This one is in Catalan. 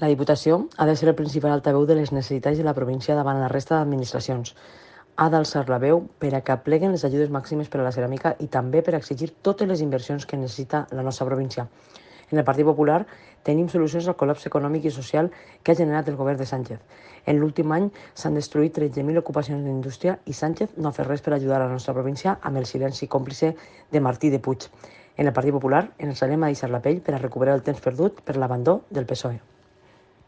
La Diputació ha de ser el principal altaveu de les necessitats de la província davant la resta d'administracions. Ha d'alçar la veu per a que apleguen les ajudes màximes per a la ceràmica i també per a exigir totes les inversions que necessita la nostra província. En el Partit Popular tenim solucions al col·lapse econòmic i social que ha generat el govern de Sánchez. En l'últim any s'han destruït 13.000 ocupacions d'indústria i Sánchez no ha fet res per ajudar a la nostra província amb el silenci còmplice de Martí de Puig. En el Partit Popular ens alçarem a deixar la pell per a recuperar el temps perdut per l'abandó del PSOE.